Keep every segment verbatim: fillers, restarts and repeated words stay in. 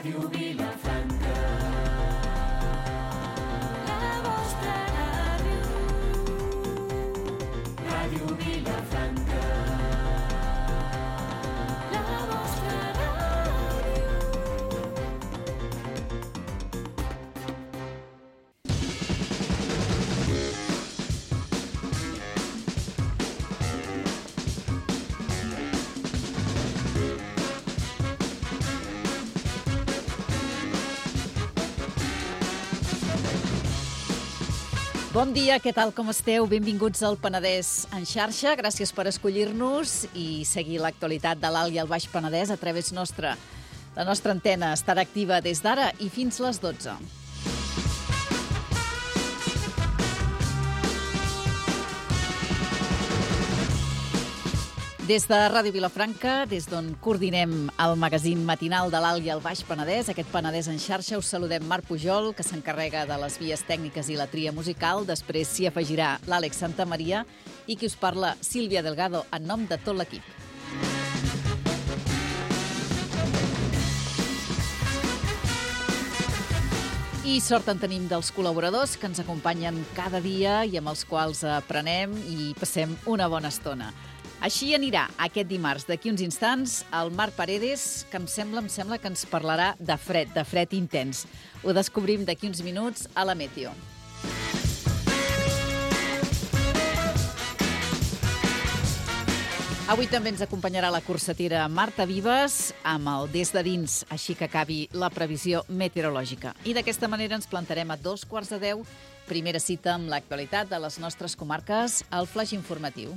Ràdio Vilafranca. La vostra ràdio. Ràdio Vilafranca. La vostra ràdio. Bon dia, què tal, com esteu? Benvinguts al Penedès en xarxa. Gràcies per escollir-nos i seguir l'actualitat de l'Alt i el Baix Penedès a través nostra. La nostra antena estarà activa des d'ara i fins les dotze. Des de Ràdio Vilafranca, des d'on coordinem el magazín matinal de l'Alt i el Baix Penedès, aquest Penedès en xarxa, us saludem Marc Pujol, que s'encarrega de les vies tècniques i la tria musical. Després s'hi afegirà l'Àlex Santamaria i qui us parla, Sílvia Delgado, en nom de tot l'equip. I sort en tenim dels col·laboradors que ens acompanyen cada dia i amb els quals aprenem i passem una bona estona. Així anirà aquest dimarts. D'aquí uns instants, el Marc Paredes, que em sembla, em sembla que ens parlarà de fred, de fred intens. Ho descobrim d'aquí uns minuts a la Meteo. Avui també ens acompanyarà la cursatera Marta Vives amb el Des de dins, així que acabi la previsió meteorològica. I d'aquesta manera ens plantarem a dos quarts de deu, primera cita amb l'actualitat de les nostres comarques, el flaix informatiu.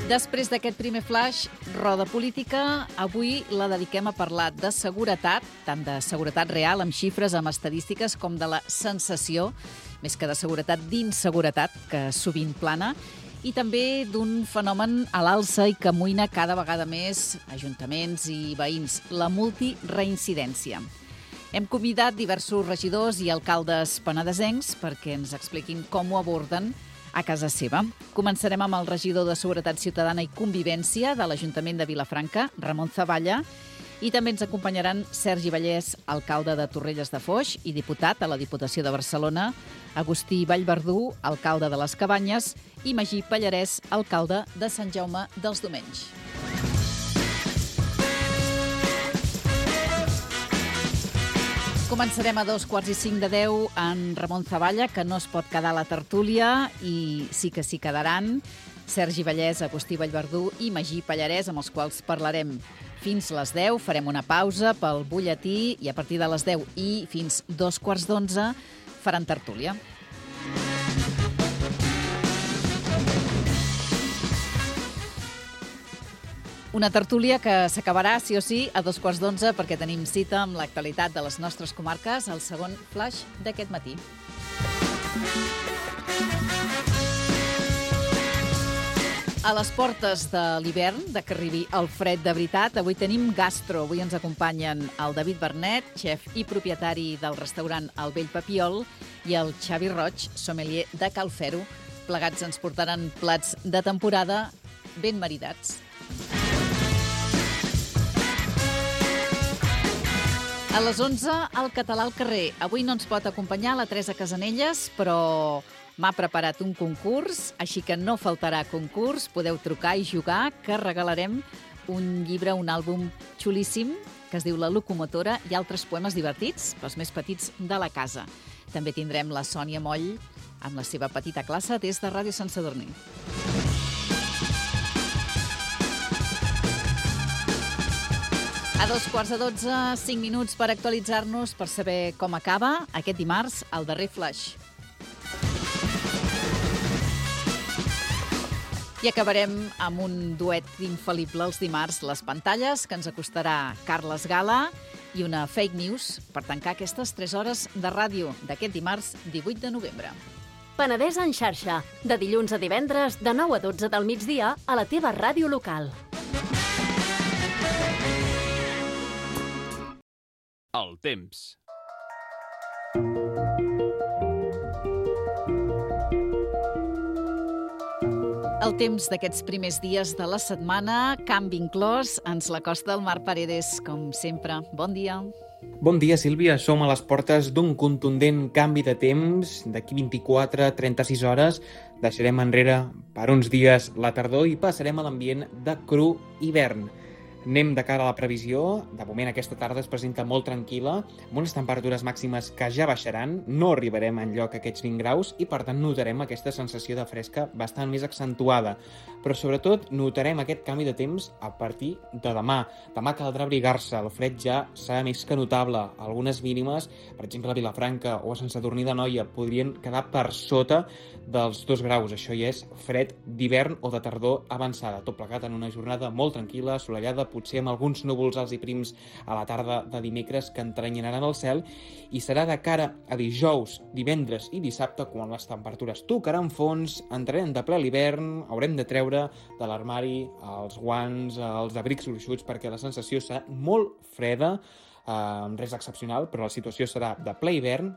Després d'aquest primer flash, roda política, avui la dediquem a parlar de seguretat, tant de seguretat real, amb xifres, amb estadístiques, com de la sensació, més que de seguretat, d'inseguretat, que sovint plana, i també d'un fenomen a l'alça i que amoïna cada vegada més ajuntaments i veïns, la multireincidència. Hem convidat diversos regidors i alcaldes penedesencs perquè ens expliquin com ho aborden a casa seva. Començarem amb el regidor de Seguretat Ciutadana i Convivència de l'Ajuntament de Vilafranca, Ramon Zavalla, i també ens acompanyaran Sergi Vallès, alcalde de Torrelles de Foix i diputat a la Diputació de Barcelona, Agustí Vallverdú, alcalde de les Cabanyes, i Magí Pallarès, alcalde de Sant Jaume dels Domenys. Començarem a dos quarts i cinc de deu en Ramon Zavalla, que no es pot quedar a la tertúlia, i sí que s'hi quedaran Sergi Vallès, Agustí Vallverdú i Magí Pallarès, amb els quals parlarem fins les deu. Farem una pausa pel butlletí i a partir de les deu i fins dos quarts d'onze faran tertúlia. Una tertúlia que s'acabarà, sí o sí, a dos quarts d'onze, perquè tenim cita amb l'actualitat de les nostres comarques, el segon flash d'aquest matí. A les portes de l'hivern, de que arribi el fred de veritat, avui tenim gastro. Avui ens acompanyen el David Bernet, xef i propietari del restaurant El Vell Papiol, i el Xavi Roig, sommelier de Cal Fero. Plegats ens portaran plats de temporada ben maridats. A les onze, el català al carrer. Avui no ens pot acompanyar la Teresa Casanelles, però m'ha preparat un concurs, així que no faltarà concurs. Podeu trucar i jugar, que regalarem un llibre, un àlbum xulíssim, que es diu La locomotora, i altres poemes divertits pels més petits de la casa. També tindrem la Sònia Moll amb la seva petita classe des de Ràdio Sant Sadurní. A dos quarts de dotze, cinc minuts per actualitzar-nos, per saber com acaba aquest dimarts el darrer flash. I acabarem amb un duet infal·lible els dimarts, les pantalles, que ens acostarà Carles Gala, i una fake news per tancar aquestes tres hores de ràdio d'aquest dimarts divuit de novembre. Penedès en xarxa, de dilluns a divendres, de nou a dotze del migdia, a la teva ràdio local. El temps. El temps d'aquests primers dies de la setmana, canvi inclòs, ens l'acosta el Marc Paredes, com sempre. Bon dia. Bon dia, Sílvia. Som a les portes d'un contundent canvi de temps. D'aquí vint-i-quatre a trenta-sis hores deixarem enrere per uns dies la tardor i passarem a l'ambient de cru hivern. Anem de cara a la previsió. De moment aquesta tarda es presenta molt tranquil·la, amb unes temperatures màximes que ja baixaran. No arribarem enlloc a aquests vint graus i per tant notarem aquesta sensació de fresca bastant més accentuada. Però sobretot notarem aquest canvi de temps a partir de demà. Demà caldrà abrigar-se, el fred ja serà més que notable. Algunes mínimes, per exemple a Vilafranca o a Sant Sadurní d'Anoia, podrien quedar per sota dels dos graus. Això ja és fred d'hivern o de tardor avançada. Tot plegat en una jornada molt tranquil·la, assolellada, potser amb alguns núvols alts i prims a la tarda de dimecres que entranyaran el cel, i serà de cara a dijous, divendres i dissabte quan les temperatures tocaran fons, entrarem de ple a l'hivern, haurem de treure de l'armari els guants, els abrics gruixuts, perquè la sensació serà molt freda, eh, res excepcional, però la situació serà de ple hivern,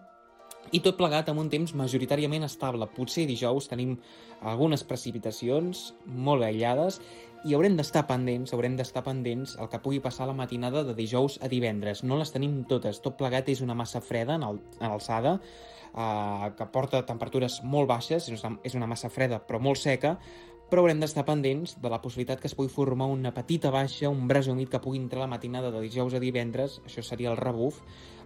i tot plegat amb un temps majoritàriament estable. Potser dijous tenim algunes precipitacions molt aïllades i haurem d'estar pendents, haurem d'estar pendents el que pugui passar la matinada de dijous a divendres. No les tenim totes. Tot plegat és una massa freda en, el, en alçada, eh, que porta temperatures molt baixes, és una, és una massa freda però molt seca, però haurem d'estar pendents de la possibilitat que es pugui formar una petita baixa, un braç humit que pugui entrar la matinada de dijous a divendres, això seria el rebuf,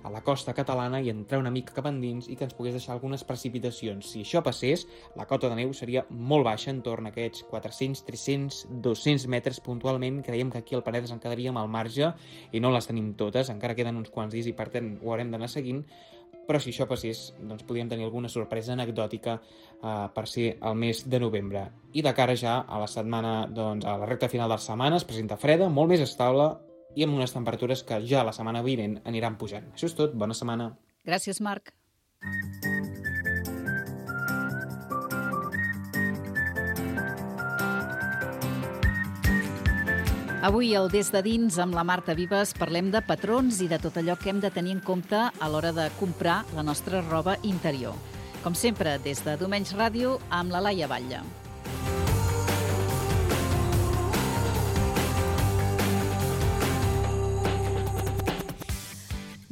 a la costa catalana i entrar una mica cap endins i que ens pogués deixar algunes precipitacions. Si això passés, la cota de neu seria molt baixa, en torn a aquests quatre-cents, tres-cents, dos-cents metres puntualment. Creiem que aquí al Paredes en quedaríem al marge i no les tenim totes, encara queden uns quants dies i per tant ho haurem d'anar seguint, però si això passés, doncs podríem tenir alguna sorpresa anecdòtica eh, per ser el mes de novembre. I de cara ja a la setmana, doncs, a la recta final de la setmana, es presenta freda, molt més estable i amb unes temperatures que ja la setmana vinent aniran pujant. Això és tot, bona setmana. Gràcies, Marc. Avui, al Des de Dins, amb la Marta Vives, parlem de patrons i de tot allò que hem de tenir en compte a l'hora de comprar la nostra roba interior. Com sempre, des de Domenys Ràdio, amb la Laia Batlle.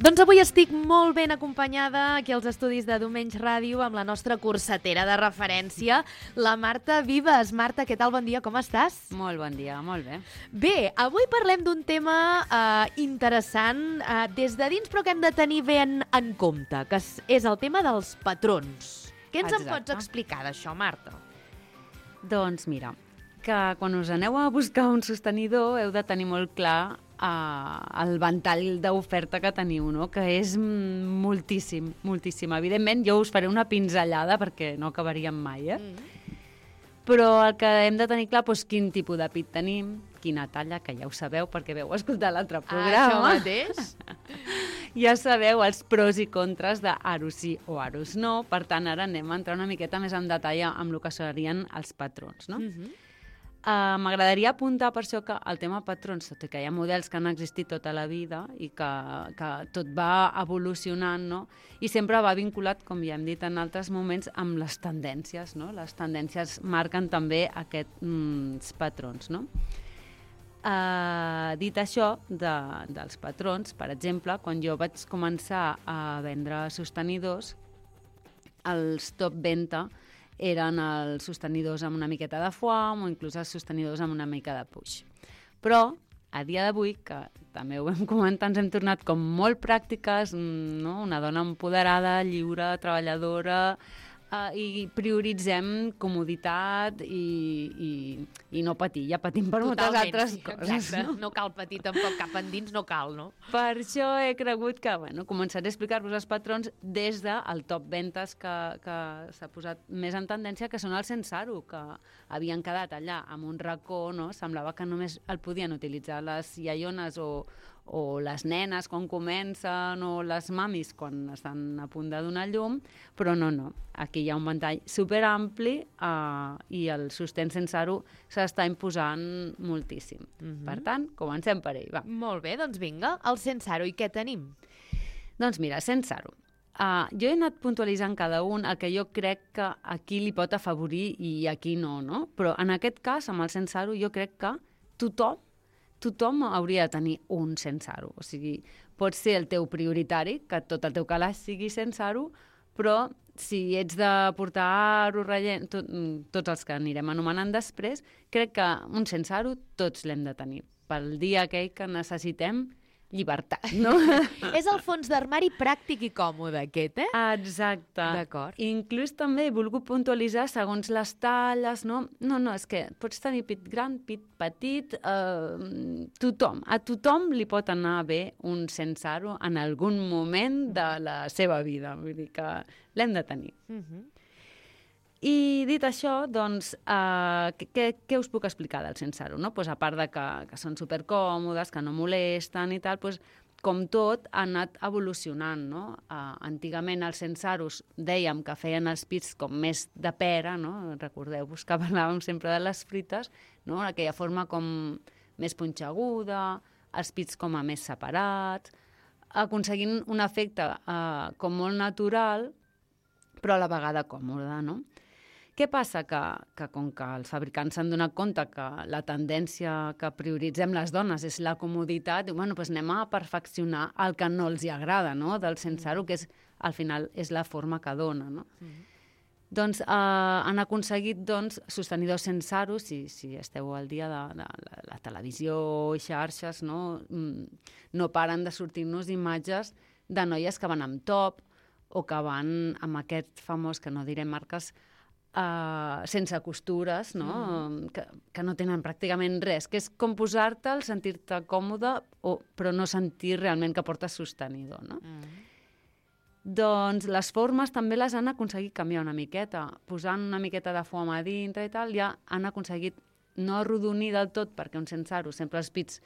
Doncs avui estic molt ben acompanyada aquí als estudis de Domenys Ràdio amb la nostra cursetera de referència, la Marta Vives. Marta, què tal? Bon dia, com estàs? Molt bon dia, molt bé. Bé, avui parlem d'un tema eh, interessant eh, des de dins, però que hem de tenir ben en compte, que és, és el tema dels patrons. Què ens en pots explicar d'això, Marta? Doncs mira, que quan us aneu a buscar un sostenidor heu de tenir molt clar Uh, el ventall d'oferta que teniu, no? Que és moltíssim, moltíssim. Evidentment, jo us faré una pinzellada perquè no acabaríem mai, eh? Mm. Però el que hem de tenir clar, doncs, quin tipus de pit tenim, quina talla, que ja ho sabeu perquè veu escoltar l'altre programa. Això mateix. Ja sabeu els pros i contres d'Aros sí o Aros no. Per tant, ara anem a entrar una miqueta més en detall amb el que serien els patrons, no? Mm-hmm. Uh, M'agradaria apuntar per això que el tema patrons, tot i que hi ha models que han existit tota la vida i que, que tot va evolucionant, no? I sempre va vinculat, com ja hem dit en altres moments, amb les tendències, no? Les tendències marquen també aquests mm, patrons, no? Uh, dit això de, dels patrons, per exemple, quan jo vaig començar a vendre sostenidors, els top venta eren els sostenidors amb una miqueta de foam o inclús els sostenidors amb una mica de puix. Però, a dia d'avui, que també ho vam comentar, ens hem tornat com molt pràctiques, no? Una dona empoderada, lliure, treballadora, uh, i prioritzem comoditat i, i, i no patir. Ja patim per moltes Totalment, altres sí, coses. exacte. No? no cal patir tampoc, cap endins no cal, no? Per això he cregut que bueno, començaré a explicar-vos els patrons des del top ventes que, que s'ha posat més en tendència, que són els sense aro, que havien quedat allà amb un racó, no? Semblava que només el podien utilitzar les iaiones o, o les nenes quan comencen o les mamis quan estan a punt de donar llum, però no, no. Aquí hi ha un ventall superampli uh, i el sostén sense aro s'està imposant moltíssim. Mm-hmm. Per tant, comencem per ell, va. Molt bé, doncs vinga, el sense aro. I què tenim? Doncs mira, sense aro. Uh, jo he anat puntualitzant cada un el que jo crec que aquí li pot afavorir i aquí no, no? Però en aquest cas, amb el sense aro, jo crec que tothom, tothom hauria de tenir un sense aro. O sigui, pot ser el teu prioritari, que tot el teu calaix sigui sense aro, però si ets de portar aro, rellent, tot, tots els que anirem anomenant després, crec que un sense aro tots l'hem de tenir. Pel dia aquell que necessitem llibertat, no? És el fons d'armari pràctic i còmode, aquest, eh? Exacte. D'acord. Inclús també he volgut puntualitzar segons les talles, no? No, no, és que pots tenir pit gran, pit petit, eh, tothom, a tothom li pot anar bé un sense aro en algun moment de la seva vida, vull dir que l'hem de tenir. Uh -huh. I dit això, doncs, eh, què, què us puc explicar del sense aro? No? Pues, a part de que, que són supercòmodes, que no molesten i tal, pues, com tot, ha anat evolucionant. No? Eh, antigament els sense aros dèiem que feien els pits com més de pera, no? Recordeu-vos que parlàvem sempre de les frites, no? Aquella forma com més punxeguda, els pits com a més separats, aconseguint un efecte eh, com molt natural, però a la vegada còmode, no? Què passa? Que, que com que els fabricants s'han donat compte que la tendència que prioritzem les dones és la comoditat, diu, bueno, doncs anem a perfeccionar el que no els hi agrada, no?, del sense aro, que és, al final és la forma que dona, no? Mm. Doncs eh, han aconseguit doncs, sostenidors sense aro, si, si esteu al dia de, de la, la televisió i xarxes, no, no paren de sortir-nos imatges de noies que van amb top o que van amb aquest famós, que no diré marques, Uh, sense costures, no? Mm. Que, que no tenen pràcticament res, que és com posar-te'l, sentir-te còmode, o, però no sentir realment que portes sostenidor, no? Mm. Doncs les formes també les han aconseguit canviar una miqueta, posant una miqueta de foam a dintre i tal, ja han aconseguit no arrodonir del tot, perquè un sense aro sempre els pits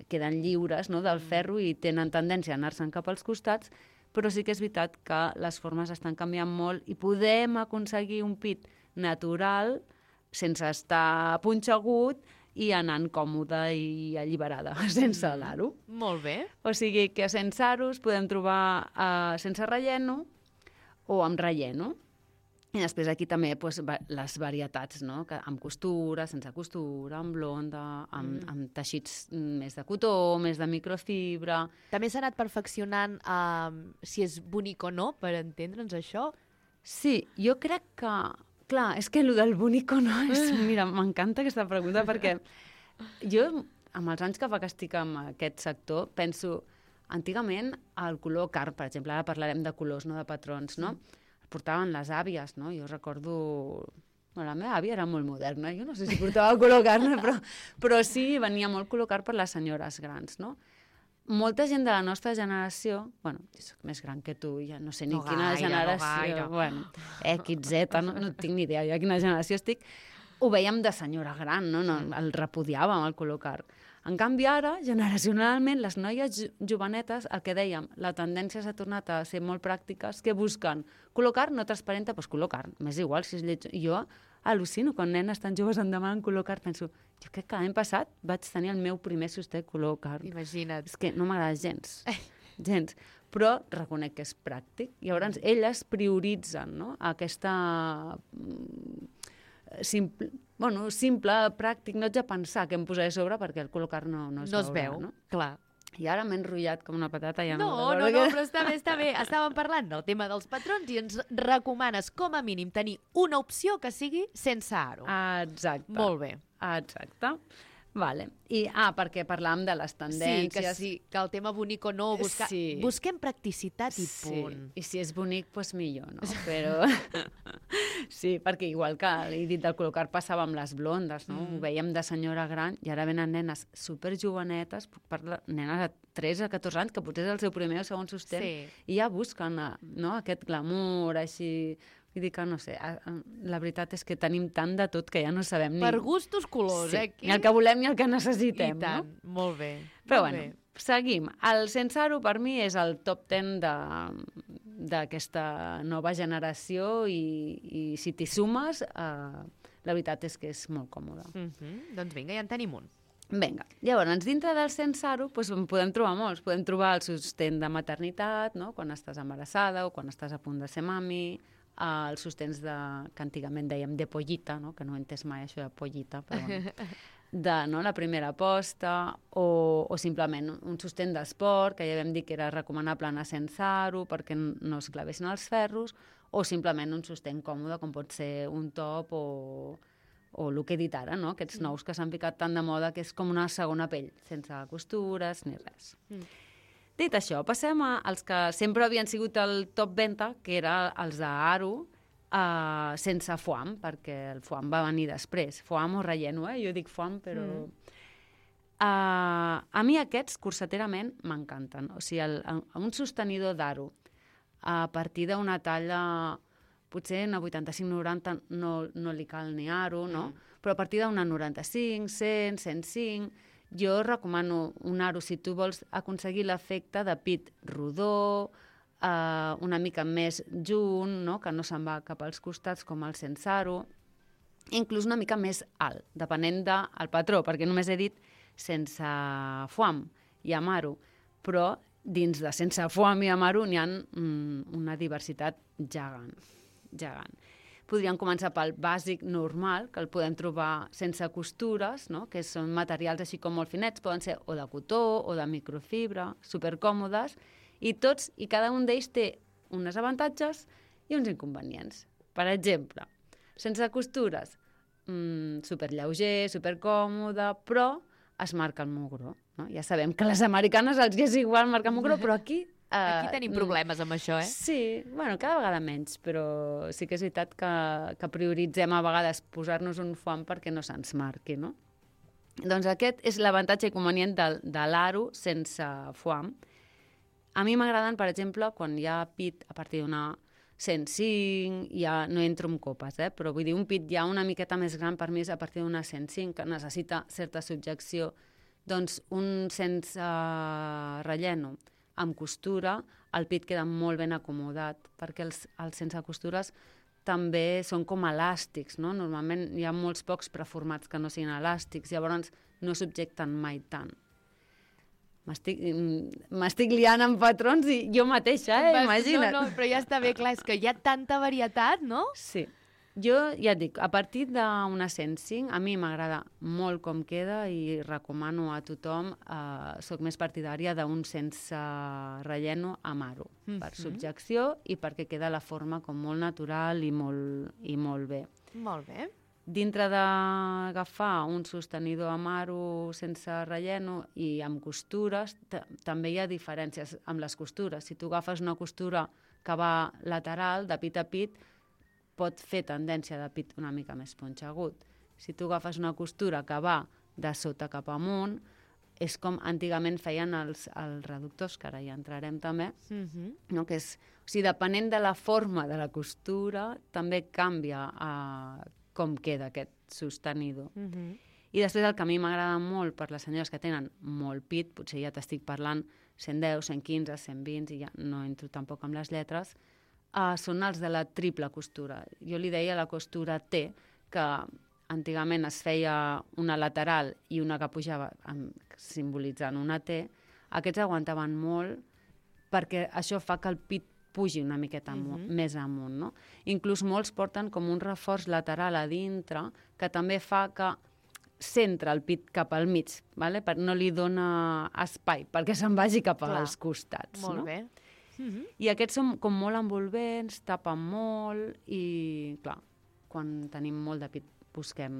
queden lliures, no?, del ferro i tenen tendència a anar-se'n cap als costats, però sí que és veritat que les formes estan canviant molt i podem aconseguir un pit natural sense estar punxegut i anant còmode i alliberada, sense l'aro. Molt bé. O sigui que sense aros podem trobar uh, sense relleno o amb relleno. I després aquí també pues, les varietats, no? Que amb costura, sense costura, amb blonda, amb, mm. amb teixits més de cotó, més de microfibra. També s'ha anat perfeccionant uh, si és bonic o no, per entendre'ns això? Sí, jo crec que... Clar, és que el del bonic o no és... Mira, m'encanta aquesta pregunta perquè jo, amb els anys que fa que estic en aquest sector, penso, antigament el color carn, per exemple, ara parlarem de colors, no de patrons, no? Mm. Portaven les àvies, no? Jo recordo... Bueno, la meva àvia era molt moderna, jo no sé si portava color carn, però, però sí, venia molt color carn per les senyores grans, no? Molta gent de la nostra generació, bueno, jo soc més gran que tu, ja no sé ni no quina gaire, generació, no bueno, X, Z, no, no tinc ni idea jo a quina generació estic, ho veiem de senyora gran, no? No, el repudiàvem, el color carn. En canvi, ara, generacionalment, les noies jovenetes, el que dèiem, la tendència s'ha tornat a ser molt pràctiques, que busquen color carn, no transparenta, doncs color carn. M'és igual si és lleig. Jo al·lucino, quan nenes tan joves em demanen color carn, penso, jo crec que l'any passat vaig tenir el meu primer sosté color carn. Imagina't. És que no m'agrada gens, gens. Però reconec que és pràctic. Llavors, elles prioritzen, no?, aquesta... Simple, bueno, simple, pràctic, no ets a pensar què em posaré a sobre perquè el color carn no, no es, no es veurà, veu, no? Clar. I ara m'he enrotllat com una patata. Ja no, no, no, no, però està bé, està bé. Estàvem parlant del tema dels patrons i ens recomanes, com a mínim, tenir una opció que sigui sense aro. Exacte. Molt bé. Exacte. Vale. I, ah, perquè parlàvem de les tendències. Sí, que sí, que el tema bonic o no, buscar... Sí. busquem practicitat i sí. punt. I si és bonic, doncs millor, no? Però... sí, perquè igual que he dit del col·locar passava amb les blondes, no? Mm. Ho veiem de senyora gran i ara venen nenes superjovenetes, parla, nenes de tres a catorze anys, que potser és el seu primer o segon sostén, sí. i ja busquen, no?, aquest glamour, així... Vull dir que, no sé, la veritat és que tenim tant de tot que ja no sabem ni... Per gustos colors, sí. eh? Aquí... Ni el que volem ni el que necessitem, I tant. No? Molt bé. Però molt bueno, bé. Seguim. El sense aro per mi és el top ten d'aquesta nova generació i, i si t'hi sumes, eh, la veritat és que és molt còmode. Mm-hmm. Doncs vinga, ja en tenim un. Vinga, llavors, dintre del sense aro doncs, en podem trobar molts. Podem trobar el sostén de maternitat, no? Quan estàs embarassada o quan estàs a punt de ser mami, eh, els sostens de, que antigament dèiem de pollita, no? Que no he entès mai això de pollita, però bueno, de no? La primera posta, o, o simplement un sostén d'esport, que ja vam dir que era recomanable anar sense aro perquè no es clavessin els ferros, o simplement un sostén còmode, com pot ser un top o... o el que he dit ara, no? Aquests nous que s'han ficat tan de moda que és com una segona pell, sense costures ni res. Mm. Dit això, passem als que sempre havien sigut el top venta, que era els d'aro, uh, sense foam, perquè el foam va venir després. Foam o relleno, eh? Jo dic foam, però... Mm. Uh, a mi aquests, cursaterament, m'encanten. O sigui, el, un sostenidor d'aro, a partir d'una talla... potser una vuitanta-cinc noranta no, no li cal ni aro, no? Mm. Però a partir d'una noranta-cinc, cent, cent cinc, jo recomano un aro si tu vols aconseguir l'efecte de pit rodó, eh, una mica més junt, no? Que no se'n va cap als costats com el sense aro, inclús una mica més alt, depenent del patró, perquè només he dit sense foam i amb aro, però dins de sense foam i amb aro n'hi ha mm, una diversitat gegant. gegant. Podríem començar pel bàsic normal, que el podem trobar sense costures, no? Que són materials així com molt finets, poden ser o de cotó o de microfibra, supercòmodes, i tots i cada un d'ells té uns avantatges i uns inconvenients. Per exemple, sense costures, mmm, superlleuger, supercòmode, però es marca el mugró. No? Ja sabem que a les americanes els és igual marcar el mugró, però aquí... Aquí tenim problemes amb això, eh? Sí, bueno, cada vegada menys, però sí que és veritat que, que prioritzem a vegades posar-nos un foam perquè no se'ns marqui, no? Doncs aquest és l'avantatge i convenient de, de l'aro sense foam. A mi m'agraden, per exemple, quan hi ha pit a partir d'una cent cinc, ja no entro en copes, eh? Però vull dir, un pit ja una miqueta més gran per mi és a partir d'una cent cinc, que necessita certa subjecció. Doncs un sense uh, relleno, amb costura, el pit queda molt ben acomodat, perquè els, els sense costures també són com elàstics, no? Normalment hi ha molts pocs preformats que no siguin elàstics, llavors no subjecten mai tant. M'estic liant amb patrons i jo mateixa, eh? Imagina't. No, no, però ja està bé, clar, és que hi ha tanta varietat, no? Sí. Jo ja et dic, a partir d'una cent cinc, a mi m'agrada molt com queda i recomano a tothom, eh, soc més partidària d'un sense relleno amb aro, mm-hmm. per subjecció i perquè queda la forma com molt natural i molt, i molt bé. Molt bé. Dintre d'agafar un sostenidor amb aro sense relleno i amb costures, també hi ha diferències amb les costures. Si tu agafes una costura que va lateral, de pit a pit, pot fer tendència de pit una mica més punxegut. Si tu agafes una costura que va de sota cap amunt, és com antigament feien els, els reductors, que ara ja entrarem també, mm-hmm. no? Que és, o sigui, depenent de la forma de la costura, també canvia eh, com queda aquest sostenidor. Mm-hmm. I després el que a mi m'agrada molt per les senyores que tenen molt pit, potser ja t'estic parlant cent deu, cent quinze, cent vint, i ja no entro tampoc amb les lletres, Uh, són els de la triple costura. Jo li deia la costura T, que antigament es feia una lateral i una que pujava amb, simbolitzant una T. Aquests aguantaven molt perquè això fa que el pit pugi una miqueta amunt, mm-hmm. més amunt, no? Inclús molts porten com un reforç lateral a dintre que també fa que centra el pit cap al mig, vale? Per, no li dona espai perquè se'n vagi cap Clar. als costats. Molt no? bé. Mm-hmm. I aquests són com molt envolvents, tapen molt i, clar, quan tenim molt de pit busquem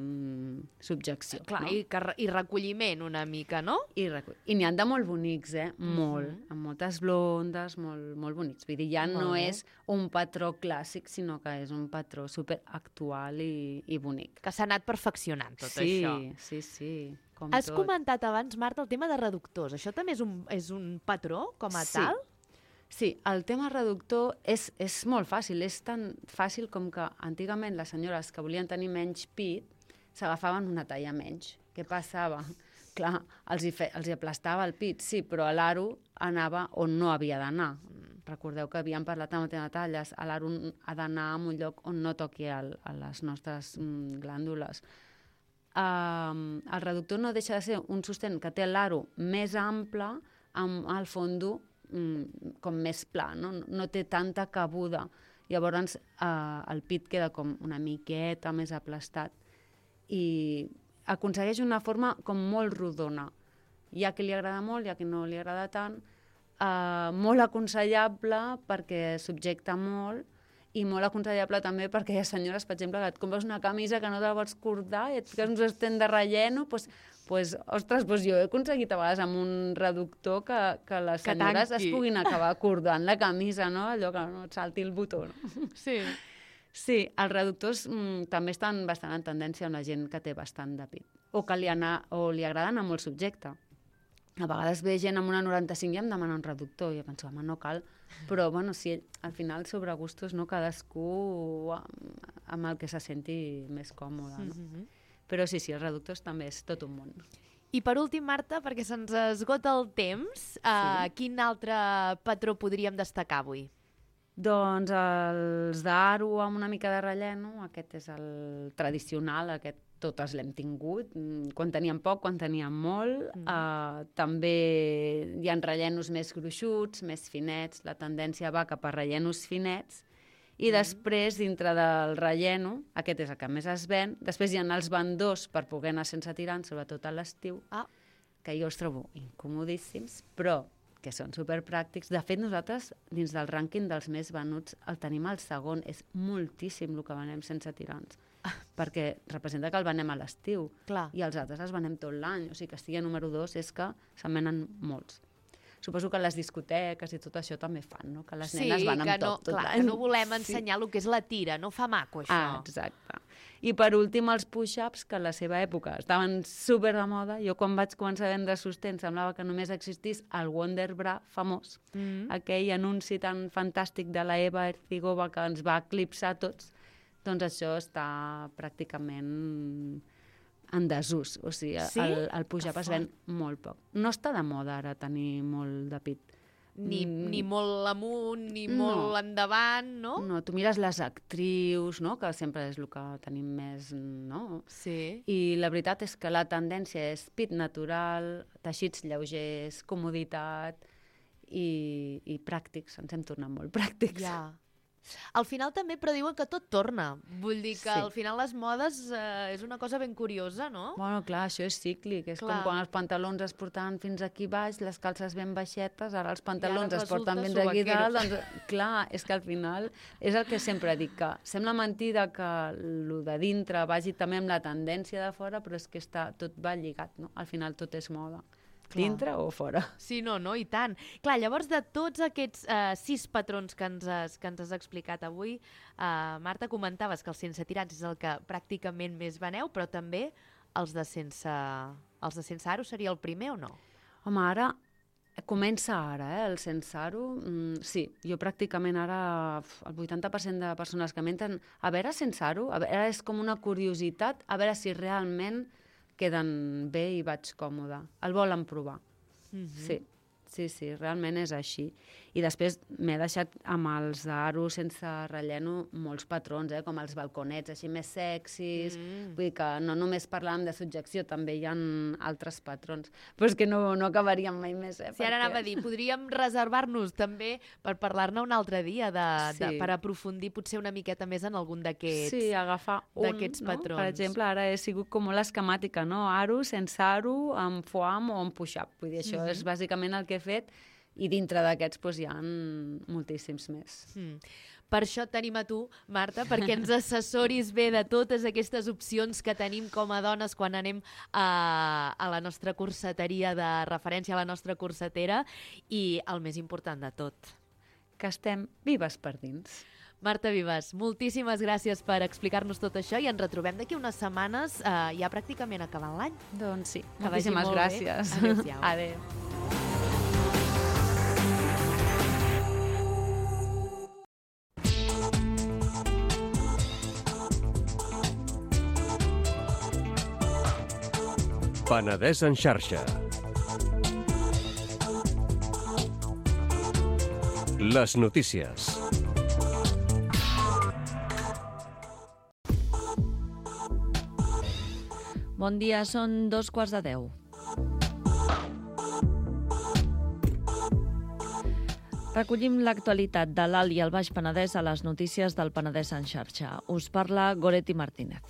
subjecció. Clar, no? i, i recolliment una mica, no? I, recull... I n'hi ha de molt bonics, eh? Molt. Mm-hmm. Amb moltes blondes, molt, molt bonics. Vull dir, ja molt no bé. És un patró clàssic, sinó que és un patró superactual i, i bonic. Que s'ha anat perfeccionant tot sí, això. Sí, sí, sí. Has tot. comentat abans, Marta, el tema de reductors. Això també és un, és un patró com a sí. tal? Sí, el tema reductor és, és molt fàcil. És tan fàcil com que antigament les senyores que volien tenir menys pit s'agafaven una talla menys. Què passava? Clar, els hi, fe, els hi aplastava el pit, sí, però l'aro anava on no havia d'anar. Recordeu que havíem parlat amb de talles. L'aro ha d'anar en un lloc on no toqui el, a les nostres mm, glàndules. Uh, el reductor no deixa de ser un sostén que té l'aro més ample amb el fondo um, com més pla, no? No té tanta cabuda. Llavors uh, el pit queda com una miqueta més aplastat i aconsegueix una forma com molt rodona. Hi ha qui li agrada molt, hi ha qui no li agrada tant. Uh, molt aconsellable perquè subjecta molt i molt aconsellable també perquè hi ha senyores, per exemple, que et compres una camisa que no te la pots cordar i et fiques un sostén de relleno, doncs, pues, ostres, pues jo he aconseguit a vegades amb un reductor que, que les Que senyores tanqui. es puguin acabar cordant la camisa, no? Allò que no et salti el botó. No? Sí. Sí, els reductors mm, també estan bastant en tendència amb la gent que té bastant de pit o que li, anar, o li agrada anar molt subjecte. A vegades ve gent amb una noranta-cinc i em demana un reductor i jo penso, home, no cal. Però, bueno, sí, al final, sobre gustos, no? Cadascú amb el que se senti més còmode. No? Mhm. Però sí, sí, els reductors també és tot un món. I per últim, Marta, perquè se'ns esgota el temps, sí. uh, quin altre patró podríem destacar avui? Doncs els d'aro amb una mica de relleno, aquest és el tradicional, aquest totes l'hem tingut, quan teníem poc, quan teníem molt. Mm. Uh, també hi ha rellenos més gruixuts, més finets, la tendència va cap a rellenos finets, i mm. després, dintre del relleno, aquest és el que més es ven, després hi ha els bandós per poder anar sense tirants, sobretot a l'estiu, Ah. que jo els trobo incomodíssims, però que són superpràctics. De fet, nosaltres, dins del rànquing dels més venuts, el tenim al segon. És moltíssim el que venem sense tirants. Ah. Perquè representa que el venem a l'estiu. Clar. I els altres els venem tot l'any. O sigui, que estigui a número dos és que se'n venen molts. Suposo que les discoteques i tot això també fan, no? Que les Sí, nenes van amb que no, tot, tot clar, l'any. que no volem ensenyar sí. el que és la tira, no fa maco això. Ah, exacte. I per últim, els push-ups, que a la seva època estaven super de moda. Jo quan vaig començar a vendre sostens semblava que només existís el Wonder Bra famós, Mm. aquell anunci tan fantàstic de la Eva Ercigova que ens va eclipsar tots. Doncs això està pràcticament en desús. O sigui, Sí? el, el push-up Que es ven molt poc. No està de moda ara tenir molt de pit. Ni, Mm. ni molt amunt, ni No. molt endavant, no? No, tu mires les actrius, no? Que sempre és el que tenim més, no? Sí. I la veritat és que la tendència és pit natural, teixits lleugers, comoditat i, i pràctics. Ens hem tornat molt pràctics. Ja. Al final també, però diuen que tot torna. Vull dir que Sí. al final les modes eh, és una cosa ben curiosa, no? Bueno, clar, això és cíclic. És Clar. com quan els pantalons es portaven fins aquí baix, les calces ben baixetes, ara els pantalons es resulta porten fins aquí subaqueros. dalt. Doncs, clar, és que al final és el que sempre dic, que sembla mentida que el de dintre vagi també amb la tendència de fora, però és que està, tot va lligat, no? Al final tot és moda. Clar. Dintre o fora. Sí, no, no, i tant. Clar, llavors de tots aquests eh, sis patrons que ens, has, que ens has explicat avui, eh, Marta, comentaves que el sense tirants és el que pràcticament més veneu, però també els de sense, els de sense aro seria el primer o no? Home, ara comença ara, eh, el sense aro. Mm, sí, jo pràcticament ara uf, el vuitanta per cent de persones que m'entren a veure sense aro, a veure, és com una curiositat, a veure si realment queden bé i vaig còmode. El volen provar. Mm-hmm. Sí, sí, sí, realment és així. I després m'he deixat amb els d'aro sense relleno molts patrons, eh, com els balconets així més sexis. Mm. Vull dir que no només parlàvem de subjecció, també hi ha altres patrons. Però és que no, no acabaríem mai més, eh? Sí, ara anava a dir, podríem reservar-nos també per parlar-ne un altre dia, de, de, Sí. per aprofundir potser una miqueta més en algun d'aquests. Sí, agafar un, d'aquests no? patrons. Per exemple, ara he sigut com molt esquemàtica, no? Aro, sense aro, amb foam o amb push-up. Vull dir, això Mhm. és bàsicament el que he fet i dintre d'aquests doncs, hi ha moltíssims més. Mm. Per això et tenim a tu, Marta, perquè ens assessoris bé de totes aquestes opcions que tenim com a dones quan anem a, a la nostra corseteria de referència, a la nostra corsetera, i el més important de tot. Que estem vives per dins. Marta Vives, moltíssimes gràcies per explicar-nos tot això i ens retrobem d'aquí unes setmanes, eh, ja pràcticament acabant l'any. Doncs sí, Que vagi moltíssimes molt bé. gràcies. Adéu-siau. Adéu. Penedès en xarxa. Les notícies. Bon dia, són dos quarts de deu. Recollim l'actualitat de l'Alt i el Baix Penedès a les notícies del Penedès en xarxa. Us parla Goretti Martínez.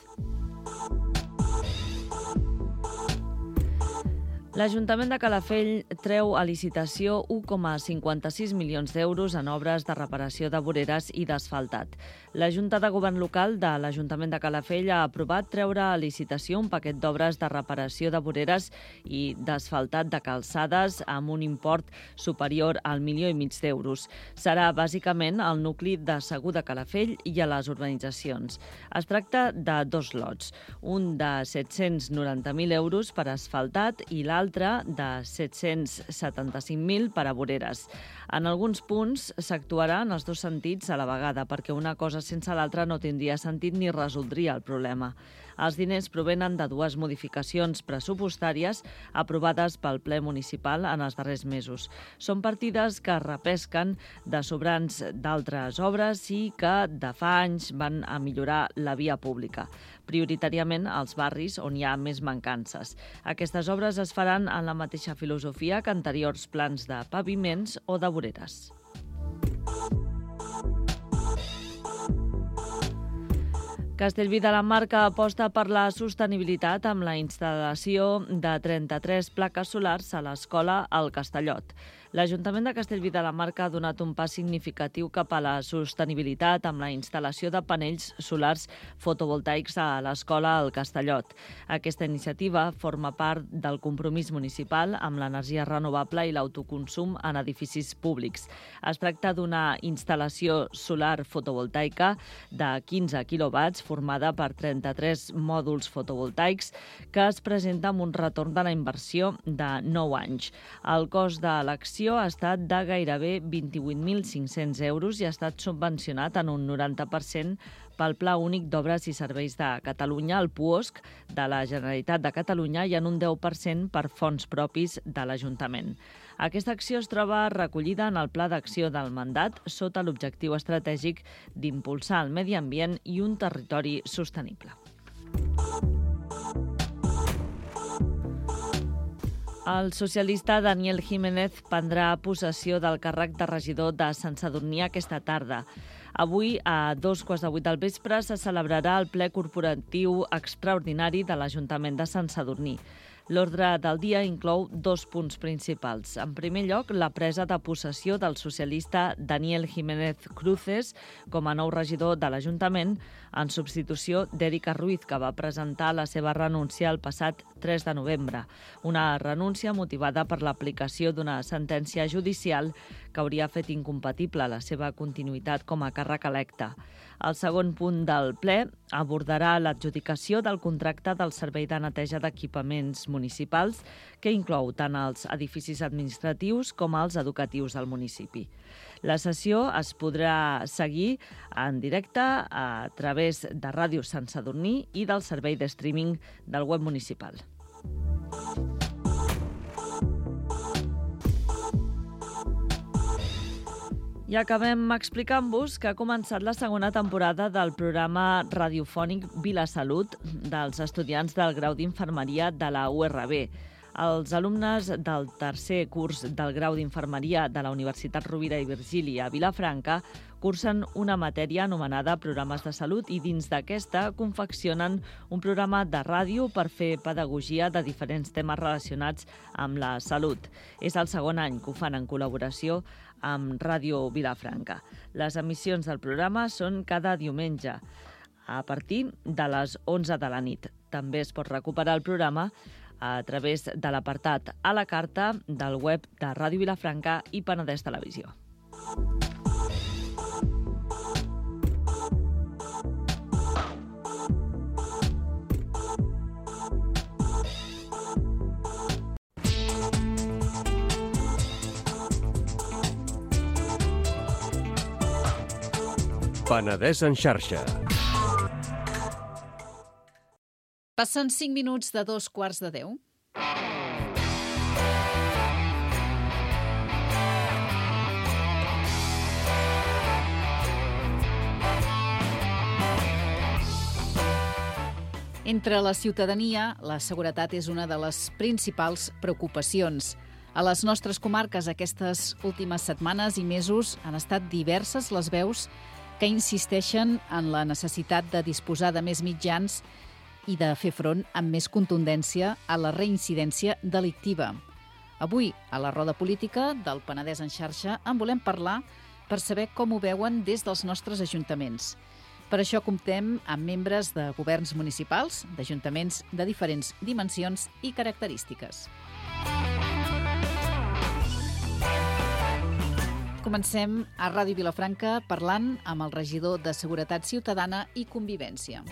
L'Ajuntament de Calafell treu a licitació u coma cinquanta-sis milions d'euros en obres de reparació de voreres i d'asfaltat. La Junta de Govern Local de l'Ajuntament de Calafell ha aprovat treure a licitació un paquet d'obres de reparació de voreres i d'asfaltat de calçades amb un import superior al milió i mig d'euros. Serà bàsicament al nucli de Segur de Calafell i a les urbanitzacions. Es tracta de dos lots, un de set-cents noranta mil euros per asfaltat i l'altre de set-cents setanta-cinc mil per a voreres. En alguns punts s'actuarà en els dos sentits a la vegada, perquè una cosa sense l'altra no tindria sentit ni resoldria el problema. Els diners provenen de dues modificacions pressupostàries aprovades pel ple municipal en els darrers mesos. Són partides que repesquen de sobrants d'altres obres i que de fa anys van a millorar la via pública, prioritàriament als barris on hi ha més mancances. Aquestes obres es faran en la mateixa filosofia que anteriors plans de paviments o de voreres. Castellví de la Marca aposta per la sostenibilitat amb la instal·lació de trenta-tres plaques solars a l'escola al Castellot. L'Ajuntament de Castellví de la Marca ha donat un pas significatiu cap a la sostenibilitat amb la instal·lació de panells solars fotovoltaics a l'escola al Castellot. Aquesta iniciativa forma part del compromís municipal amb l'energia renovable i l'autoconsum en edificis públics. Es tracta d'una instal·lació solar fotovoltaica de quinze quilowatts formada per trenta-tres mòduls fotovoltaics que es presenta amb un retorn de la inversió de nou anys. El cost de l'acció ha estat de gairebé vint-i-vuit mil cinc-cents euros i ha estat subvencionat en un noranta per cent pel Pla Únic d'Obres i Serveis de Catalunya, el P U O S C, de la Generalitat de Catalunya i en un deu per cent per fons propis de l'Ajuntament. Aquesta acció es troba recollida en el Pla d'Acció del Mandat sota l'objectiu estratègic d'impulsar el medi ambient i un territori sostenible. El socialista Daniel Jiménez prendrà possessió del càrrec de regidor de Sant Sadurní aquesta tarda. Avui, a dos quarts de vuit del vespre, se celebrarà el ple corporatiu extraordinari de l'Ajuntament de Sant Sadurní. L'ordre del dia inclou dos punts principals. En primer lloc, la presa de possessió del socialista Daniel Jiménez Cruces com a nou regidor de l'Ajuntament, en substitució d'Èrica Ruiz, que va presentar la seva renúncia el passat tres de novembre. Una renúncia motivada per l'aplicació d'una sentència judicial que hauria fet incompatible la seva continuïtat com a càrrec electe. El segon punt del ple abordarà l'adjudicació del contracte del Servei de Neteja d'Equipaments Municipals, que inclou tant els edificis administratius com els educatius del municipi. La sessió es podrà seguir en directe a través de Ràdio Sant Sadurní i del servei de streaming del web municipal. I acabem explicant-vos que ha començat la segona temporada del programa radiofònic Vila Salut dels estudiants del grau d'Infermeria de la U R B. Els alumnes del tercer curs del grau d'Infermeria de la Universitat Rovira i Virgili a Vilafranca cursen una matèria anomenada Programes de Salut i dins d'aquesta confeccionen un programa de ràdio per fer pedagogia de diferents temes relacionats amb la salut. És el segon any que ho fan en col·laboració amb Ràdio Vilafranca. Les emissions del programa són cada diumenge a partir de les onze de la nit. També es pot recuperar el programa a través de l'apartat a la carta del web de Ràdio Vilafranca i Penedès Televisió. Penedès en xarxa. Passen cinc minuts de dos quarts de deu. Entre la ciutadania, la seguretat és una de les principals preocupacions. A les nostres comarques aquestes últimes setmanes i mesos han estat diverses les veus que insisteixen en la necessitat de disposar de més mitjans i de fer front amb més contundència a la reincidència delictiva. Avui, a la roda política del Penedès en xarxa, en volem parlar per saber com ho veuen des dels nostres ajuntaments. Per això comptem amb membres de governs municipals, d'ajuntaments de diferents dimensions i característiques. Comencem a Ràdio Vilafranca parlant amb el regidor de Seguretat Ciutadana i Convivència.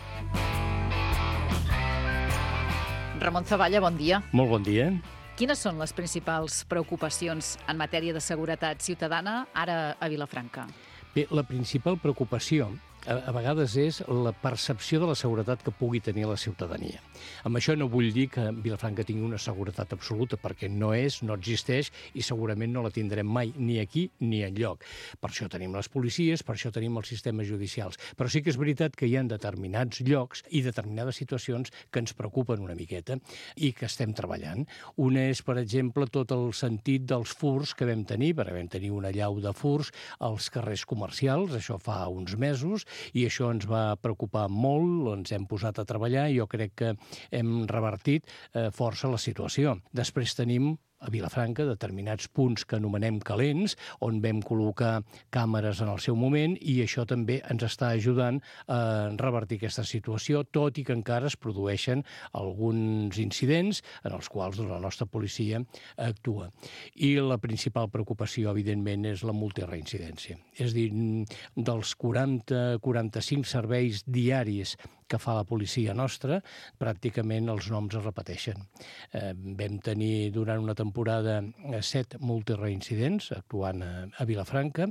Ramon Zavalla, bon dia. Molt bon dia. Quines són les principals preocupacions en matèria de seguretat ciutadana ara a Vilafranca? Bé, la principal preocupació a, a vegades és la percepció de la seguretat que pugui tenir la ciutadania. Amb això no vull dir que Vilafranca tingui una seguretat absoluta, perquè no és, no existeix i segurament no la tindrem mai, ni aquí ni enlloc. Per això tenim les policies, per això tenim els sistemes judicials. Però sí que és veritat que hi ha determinats llocs i determinades situacions que ens preocupen una miqueta i que estem treballant. Una és, per exemple, tot el sentit dels furs que vam tenir, perquè vam tenir una allau de furs als carrers comercials, això fa uns mesos, i això ens va preocupar molt, ens hem posat a treballar i jo crec que hem revertit eh, força la situació. Després tenim a Vilafranca determinats punts que anomenem calents, on vam col·locar càmeres en el seu moment i això també ens està ajudant a revertir aquesta situació, tot i que encara es produeixen alguns incidents en els quals la nostra policia actua. I la principal preocupació, evidentment, és la multireincidència. És a dir, dels quaranta a quaranta-cinc serveis diaris que fa la policia nostra, pràcticament els noms es repeteixen. Eh, vam tenir durant una temporada set multireincidents actuant a, a Vilafranca.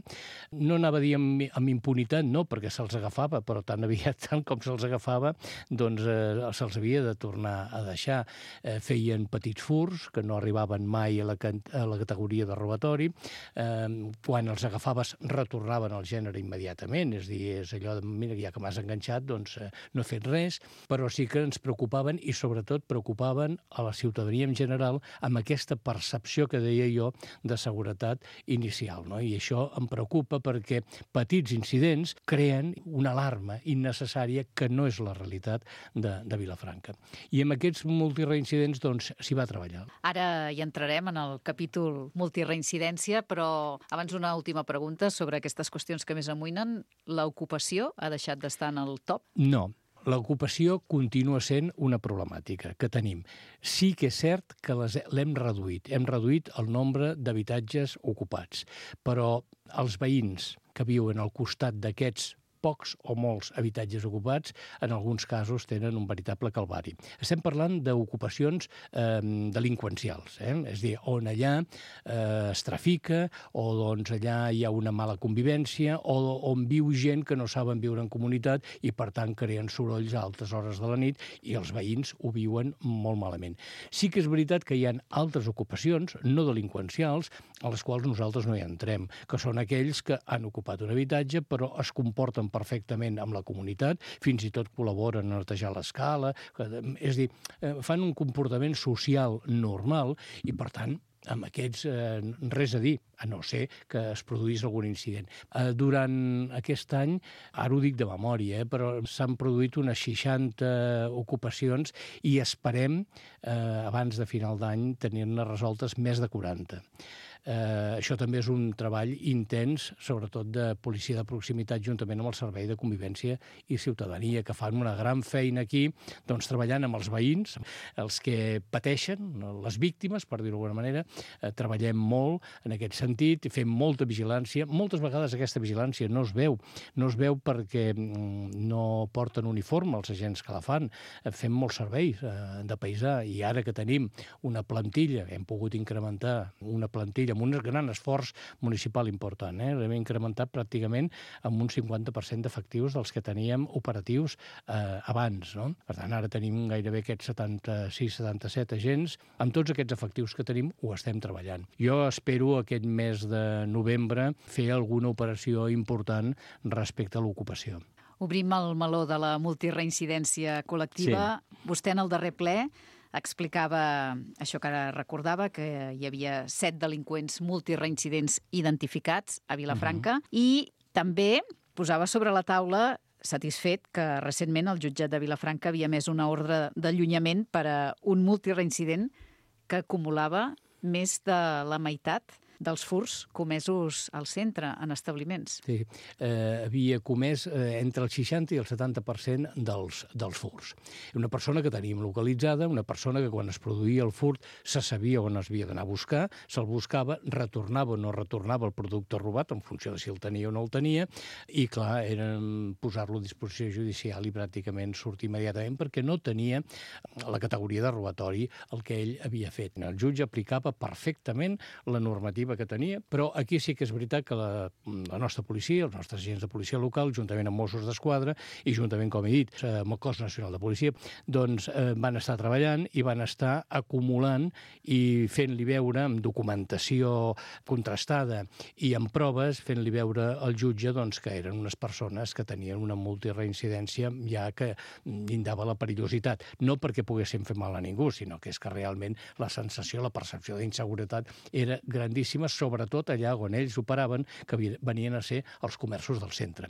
No anava a dir amb, amb impunitat, no, perquè se'ls agafava, però tan aviat tant com se'ls agafava, doncs eh, se'ls havia de tornar a deixar. Eh, feien petits furs que no arribaven mai a la, a la categoria de robatori. Eh, quan els agafaves retornaven al gènere immediatament, és a dir, és allò de, mira, ja que m'has enganxat, doncs eh, no fet res, però sí que ens preocupaven i sobretot preocupaven a la ciutadania en general amb aquesta percepció que deia jo de seguretat inicial, no? I això em preocupa perquè petits incidents creen una alarma innecessària que no és la realitat de, de Vilafranca. I amb aquests multireincidents doncs s'hi va treballar. Ara hi entrarem en el capítol multireincidència, però abans una última pregunta sobre aquestes qüestions que més amoïnen. L'ocupació ha deixat d'estar en el top? No. L'ocupació continua sent una problemàtica que tenim. Sí que és cert que l'hem reduït. Hem reduït el nombre d'habitatges ocupats. Però els veïns que viuen al costat d'aquests pocs o molts habitatges ocupats, en alguns casos tenen un veritable calvari. Estem parlant d'ocupacions eh, delinqüencials, eh? És a dir, on allà eh, es trafica o doncs allà hi ha una mala convivència o on viu gent que no saben viure en comunitat i per tant creen sorolls a altes hores de la nit i els veïns ho viuen molt malament. Sí que és veritat que hi ha altres ocupacions no delinqüencials a les quals nosaltres no hi entrem, que són aquells que han ocupat un habitatge però es comporten perfectament amb la comunitat, fins i tot col·laboren a netejar l'escala, és a dir, fan un comportament social normal i, per tant, amb aquests eh, res a dir, a no ser que es produís algun incident. Eh, durant aquest any, ara ho dic de memòria, eh, però s'han produït unes seixanta ocupacions i esperem, eh, abans de final d'any, tenir-ne resoltes més de quaranta. Eh, això també és un treball intens, sobretot de policia de proximitat, juntament amb el Servei de Convivència i Ciutadania, que fan una gran feina aquí, doncs treballant amb els veïns, els que pateixen, les víctimes, per dir-ho d'alguna manera. Eh, treballem molt en aquest sentit, fem molta vigilància. Moltes vegades aquesta vigilància no es veu, no es veu perquè no porten uniforme els agents que la fan. Eh, fem molts serveis eh, de paisà i ara que tenim una plantilla, hem pogut incrementar una plantilla amb un gran esforç municipal important. Eh? L'hem incrementat pràcticament amb un cinquanta per cent d'efectius dels que teníem operatius eh, abans. No? Per tant, ara tenim gairebé aquests setanta-sis setanta-set agents. Amb tots aquests efectius que tenim ho estem treballant. Jo espero aquest mes de novembre fer alguna operació important respecte a l'ocupació. Obrim el meló de la multireincidència col·lectiva. Sí. Vostè en el darrer ple explicava això que ara recordava, que hi havia set delinqüents multireincidents identificats a Vilafranca, uh-huh. i també posava sobre la taula, satisfet, que recentment el jutjat de Vilafranca havia emès una ordre d'allunyament per a un multireincident que acumulava més de la meitat dels furts comesos al centre, en establiments. Sí, eh, havia comès eh, entre el seixanta i el setanta per cent dels, dels furts. Una persona que teníem localitzada, una persona que quan es produïa el furt se sabia on es havia d'anar a buscar, se'l buscava, retornava o no retornava el producte robat, en funció de si el tenia o no el tenia, i clar, era posar-lo a disposició judicial i pràcticament sortir immediatament perquè no tenia la categoria de robatori el que ell havia fet. El jutge aplicava perfectament la normativa que tenia, però aquí sí que és veritat que la, la nostra policia, els nostres agents de policia local, juntament amb Mossos d'Esquadra i juntament, com he dit, amb el Cos Nacional de Policia, doncs eh, van estar treballant i van estar acumulant i fent-li veure amb documentació contrastada i amb proves, fent-li veure al jutge doncs, que eren unes persones que tenien una multireincidència ja que llindava la perillositat. No perquè poguessin fer mal a ningú, sinó que és que realment la sensació, la percepció d'inseguretat era grandíssima, sobretot allà on ells operaven, que venien a ser els comerços del centre,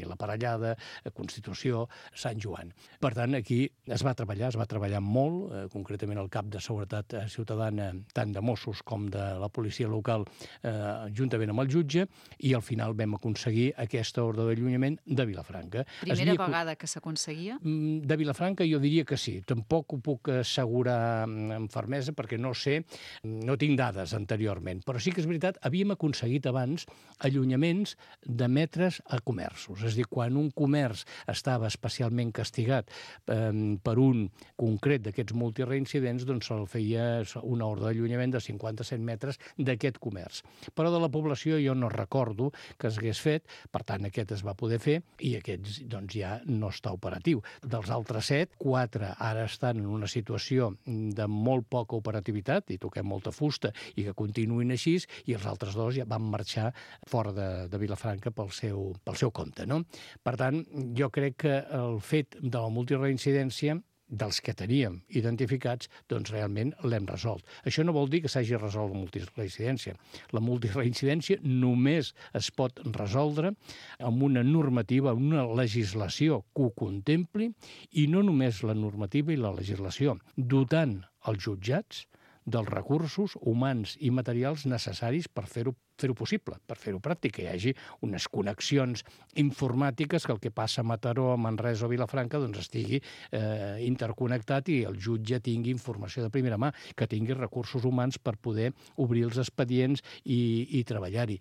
la Parellada, Constitució, Sant Joan. Per tant, aquí es va treballar, es va treballar molt, eh, concretament el cap de seguretat ciutadana, tant de Mossos com de la policia local, eh, juntament amb el jutge, i al final vam aconseguir aquesta ordre d'allunyament de Vilafranca. Primera havia... vegada que s'aconseguia? De Vilafranca jo diria que sí. Tampoc ho puc assegurar amb fermesa perquè no sé, no tinc dades anteriorment, però sí que és veritat, havíem aconseguit abans allunyaments de metres a comerços. És a dir, quan un comerç estava especialment castigat eh, per un concret d'aquests multireincidents, doncs se'l feia una ordre d'allunyament de cinquanta-set metres d'aquest comerç. Però de la població jo no recordo que s'hagués fet, per tant aquest es va poder fer i aquest doncs, ja no està operatiu. Dels altres set, quatre ara estan en una situació de molt poca operativitat i toquem molta fusta i que continuïn així, i els altres dos ja van marxar fora de, de Vilafranca pel seu, pel seu compte. No? Per tant, jo crec que el fet de la multireincidència dels que teníem identificats, doncs realment l'hem resolt. Això no vol dir que s'hagi resolt la multireincidència. La multireincidència només es pot resoldre amb una normativa, amb una legislació que ho contempli, i no només la normativa i la legislació, dotant els jutjats dels recursos humans i materials necessaris per fer-ho fer-ho possible, per fer-ho pràctic, que hi hagi unes connexions informàtiques que el que passa a Mataró, a Manresa o a Vilafranca doncs estigui eh, interconnectat i el jutge tingui informació de primera mà, que tingui recursos humans per poder obrir els expedients i, i treballar-hi.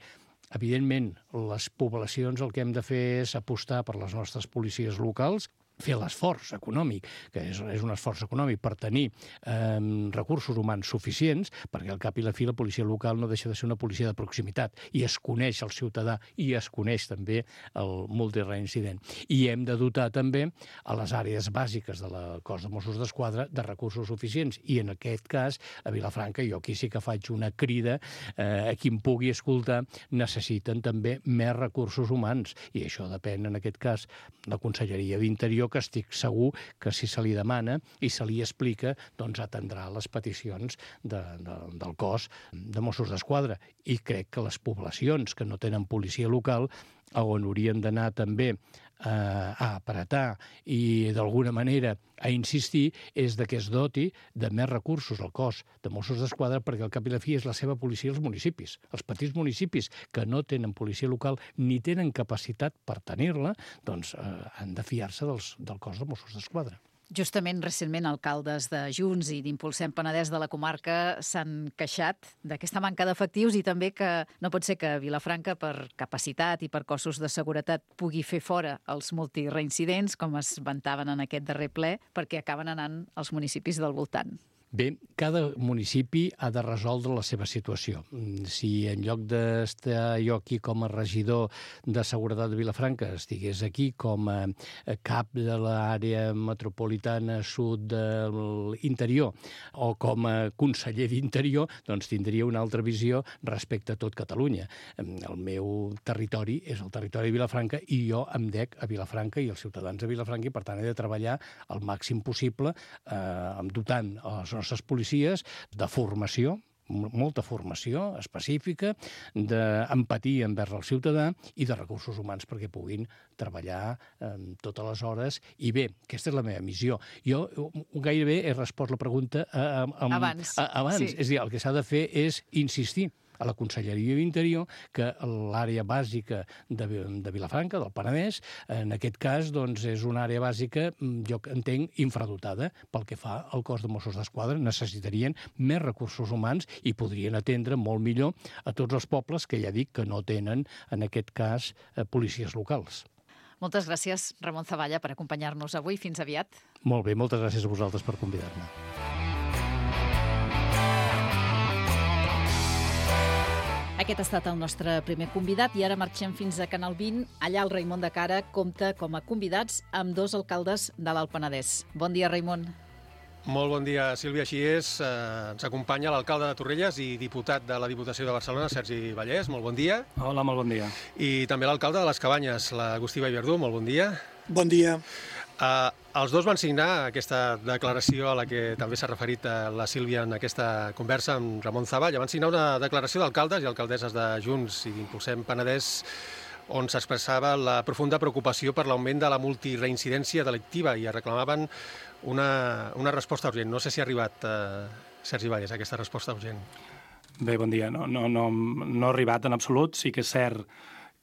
Evidentment, les poblacions el que hem de fer és apostar per les nostres policies locals, fer l'esforç econòmic, que és, és un esforç econòmic per tenir eh, recursos humans suficients, perquè al cap i la fi la policia local no deixa de ser una policia de proximitat i es coneix el ciutadà i es coneix també el multireincident. I hem de dotar també a les àrees bàsiques de la cos de Mossos d'Esquadra de recursos suficients. I en aquest cas, a Vilafranca, jo aquí sí que faig una crida eh, a qui em pugui escoltar, necessiten també més recursos humans. I això depèn, en aquest cas, de la Conselleria d'Interior, que estic segur que si se li demana i se li explica, doncs atendrà les peticions de, de, del cos de Mossos d'Esquadra. I crec que les poblacions que no tenen policia local, on haurien d'anar també eh, a apretar i d'alguna manera a insistir, és de que es doti de més recursos al cos de Mossos d'Esquadra, perquè al cap i la fi és la seva policia als municipis. Els petits municipis que no tenen policia local ni tenen capacitat per tenir-la, doncs eh, han de fiar-se dels, del cos de Mossos d'Esquadra. Justament, recentment, alcaldes de Junts i d'Impulsem Penedès de la comarca s'han queixat d'aquesta manca d'efectius i també que no pot ser que Vilafranca, per capacitat i per cossos de seguretat, pugui fer fora els multireincidents, com es vantaven en aquest darrer ple, perquè acaben anant als municipis del voltant. Bé, cada municipi ha de resoldre la seva situació. Si en lloc d'estar jo aquí com a regidor de Seguretat de Vilafranca estigués aquí com a cap de l'àrea metropolitana sud de l'interior o com a conseller d'interior, doncs tindria una altra visió respecte a tot Catalunya. El meu territori és el territori de Vilafranca i jo em dec a Vilafranca i els ciutadans de Vilafranca i, per tant, he de treballar al màxim possible eh, dotant les nostres policies de formació, molta formació específica, d'empatia envers el ciutadà i de recursos humans perquè puguin treballar eh, totes les hores. I bé, aquesta és la meva missió. Jo gairebé he respost la pregunta eh, amb, abans. A, abans. Sí. És a dir, el que s'ha de fer és insistir a la Conselleria d'Interior que l'àrea bàsica de, de Vilafranca, del Penedès, en aquest cas doncs, és una àrea bàsica, jo entenc, infradotada pel que fa al cos de Mossos d'Esquadra. Necessitarien més recursos humans i podrien atendre molt millor a tots els pobles que ja dic que no tenen, en aquest cas, eh, policies locals. Moltes gràcies, Ramon Zavalla, per acompanyar-nos avui. Fins aviat. Molt bé, moltes gràcies a vosaltres per convidar-me. Aquest ha estat el nostre primer convidat i ara marxem fins a Canal vint. Allà el Raimon de Cara compta com a convidats amb dos alcaldes de l'Alt Penedès. Bon dia, Raimon. Molt bon dia, Sílvia. Així és, eh, ens acompanya l'alcalde de Torrelles i diputat de la Diputació de Barcelona, Sergi Vallès. Molt bon dia. Hola, molt bon dia. I també l'alcalde de les Cabanyes, l'Agustí Vallverdú. Molt bon dia. Bon dia. Uh, els dos van signar aquesta declaració a la que també s'ha referit uh, la Sílvia en aquesta conversa amb Ramon Zavalla. Van signar una declaració d'alcaldes i alcaldesses de Junts i d'Impulsem Penedès on s'expressava la profunda preocupació per l'augment de la multireincidència delictiva i reclamaven una, una resposta urgent. No sé si ha arribat, uh, Sergi Vallès, aquesta resposta urgent. Bé, bon dia. No, no, no, no ha arribat en absolut. Sí que és cert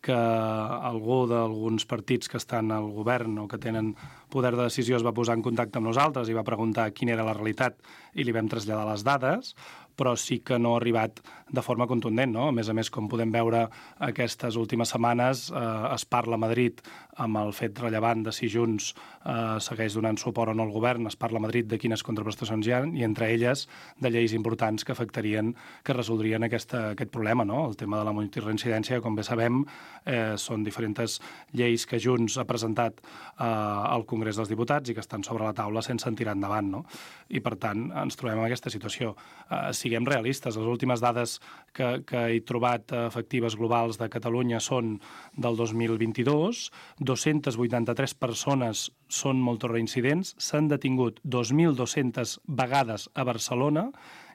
que algú d'alguns partits que estan al govern o que tenen poder de decisió es va posar en contacte amb nosaltres i va preguntar quina era la realitat i li vam traslladar les dades, però sí que no ha arribat de forma contundent, no? A més a més, com podem veure aquestes últimes setmanes, eh, es parla a Madrid amb el fet rellevant de si Junts eh, segueix donant suport o no al govern, es parla a Madrid de quines contraprestacions hi ha i entre elles de lleis importants que afectarien, que resoldrien aquesta, aquest problema, no? El tema de la multireincidència, com bé sabem, eh, són diferents lleis que Junts ha presentat eh, al Congrés dels Diputats i que estan sobre la taula sense en tirar endavant, no? I per tant ens trobem en aquesta situació. Eh, siguem realistes, les últimes dades que, que he trobat efectives globals de Catalunya són del dos mil vint-i-dos, dos-centes vuitanta-tres persones són multireincidents, s'han detingut dos mil dues-centes vegades a Barcelona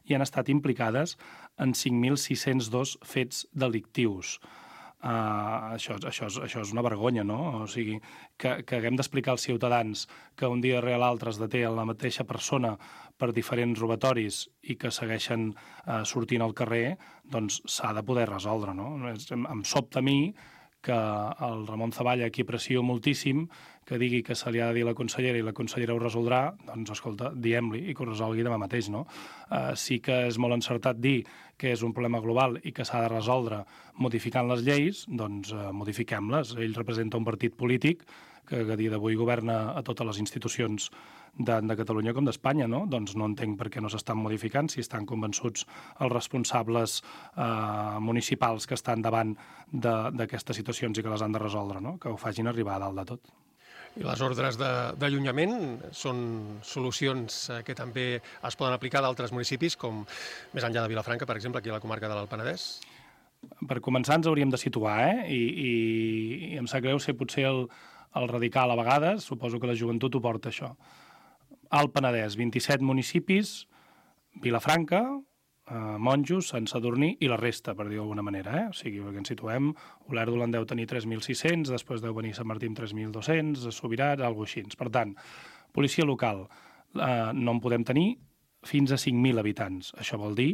i han estat implicades en cinc mil sis-cents dos fets delictius. Uh, això, això, és, això és una vergonya, no? O sigui, que, que haguem d'explicar als ciutadans que un dia rere l'altre es deté la mateixa persona per diferents robatoris i que segueixen uh, sortint al carrer, doncs s'ha de poder resoldre, no? Em, em sobta a mi que el Ramon Zavalla, qui aprecio moltíssim, que digui que se li ha de dir a la consellera i la consellera ho resoldrà, doncs, escolta, diem-li i que ho resolgui demà mateix, no? Uh, sí que és molt encertat dir que és un problema global i que s'ha de resoldre modificant les lleis, doncs uh, modifiquem-les. Ell representa un partit polític que a dia d'avui governa a totes les institucions de, de Catalunya com d'Espanya, no? Doncs no entenc per què no s'estan modificant, si estan convençuts els responsables eh, municipals que estan davant d'aquestes situacions i que les han de resoldre, no? Que ho facin arribar a dalt de tot. I les ordres d'allunyament són solucions que també es poden aplicar d'altres municipis, com més enllà de Vilafranca, per exemple, aquí a la comarca de l'Alt Penedès? Per començar ens hauríem de situar, eh? I, i, i em sap greu ser potser el, el radical a vegades, suposo que la joventut ho porta això. Alt Penedès, vint-i-set municipis, Vilafranca, eh, Monjos, Sant Sadurní i la resta, per dir d'alguna manera, eh? O sigui, perquè ens situem, Olèrdola en deu tenir tres mil sis-cents, després deu venir Sant Martí amb tres mil dos-cents, Subirats, alguna cosa així. Per tant, policia local, eh, no en podem tenir fins a cinc mil habitants. Això vol dir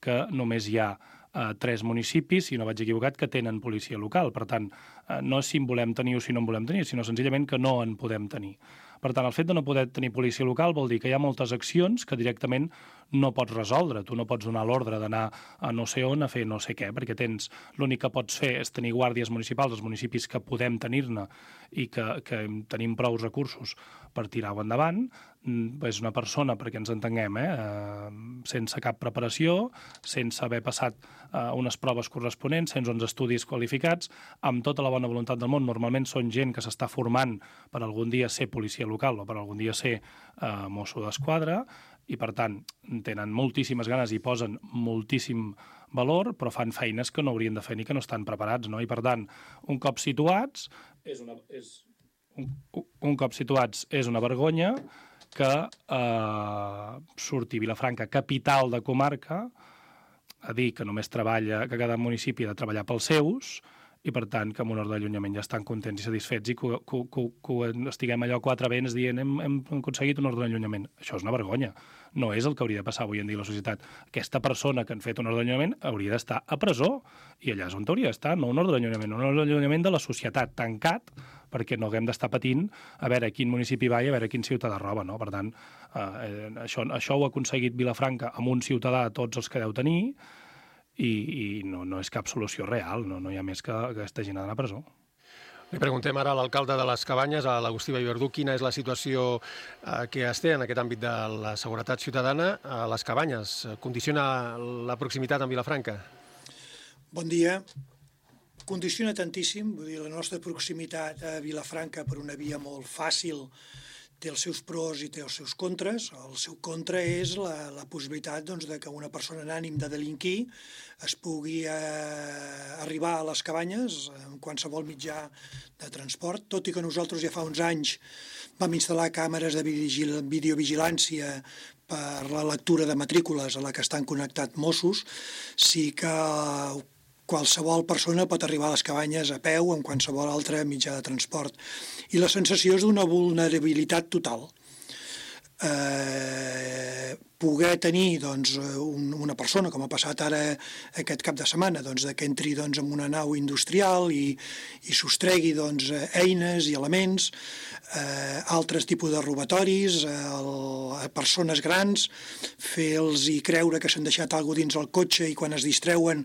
que només hi ha eh, tres municipis, si no vaig equivocat, que tenen policia local. Per tant, eh, no és si en volem tenir o si no en volem tenir, sinó senzillament que no en podem tenir. Per tant, el fet de no poder tenir policia local vol dir que hi ha moltes accions que directament no pots resoldre. Tu no pots donar l'ordre d'anar a no sé on a fer no sé què, perquè tens l'únic que pots fer és tenir guàrdies municipals, els municipis que podem tenir-ne i que, que tenim prou recursos per tirar-ho endavant. És una persona, perquè ens entenguem, eh? sense cap preparació, sense haver passat eh, unes proves corresponents, sense uns estudis qualificats, amb tota la bona voluntat del món. Normalment són gent que s'està formant per algun dia ser policia local o per algun dia ser eh, mosso d'esquadra, i per tant tenen moltíssimes ganes i posen moltíssim valor, però fan feines que no haurien de fer ni que no estan preparats, no? I per tant, un cop situats, és una, és, un, un cop situats és una vergonya que eh, surti Vilafranca, capital de comarca, a dir que només treballa, que cada municipi ha de treballar pels seus, i per tant que amb un ordre d'allunyament ja estan contents i satisfets i que, que, que, que estiguem allò quatre vents dient hem, hem aconseguit un ordre d'allunyament. Això és una vergonya. No és el que hauria de passar avui en dia a la societat. Aquesta persona que han fet un ordre d'allunyament hauria d'estar a presó, i allà és on hauria d'estar, no un ordre d'allunyament, un ordre d'allunyament de la societat, tancat, perquè no haguem d'estar patint a veure quin municipi va i a veure quin ciutadà roba, no? Per tant, eh, això, això ho ha aconseguit Vilafranca amb un ciutadà, tots els que deu tenir, i, i no, no és cap solució real, no, no hi ha més que, que aquesta gent ha d'anar a presó. Li preguntem ara a l'alcalde de les Cabanyes, a l'Agustí Vallverdú, quina és la situació eh, que es té en aquest àmbit de la seguretat ciutadana a les Cabanyes. Condiciona la proximitat amb Vilafranca? Bon dia. Condiciona tantíssim, vull dir, la nostra proximitat a Vilafranca per una via molt fàcil té els seus pros i té els seus contres. El seu contra és la, la possibilitat doncs, de que una persona en ànim de delinquir es pugui eh, arribar a les Cabanyes en qualsevol mitjà de transport, tot i que nosaltres ja fa uns anys vam instal·lar càmeres de videovigilància per la lectura de matrícules a la que estan connectats Mossos, sí que qualsevol persona pot arribar a les Cabanyes a peu o en qualsevol altre mitjà de transport. I la sensació és d'una vulnerabilitat total. Eh, poder tenir doncs, un, una persona, com ha passat ara aquest cap de setmana, doncs, que entri doncs, en una nau industrial i, i sostregui doncs, eines i elements, eh, altres tipus de robatoris, eh, el, a persones grans, fer-los creure que s'han deixat alguna cosa dins el cotxe i quan es distreuen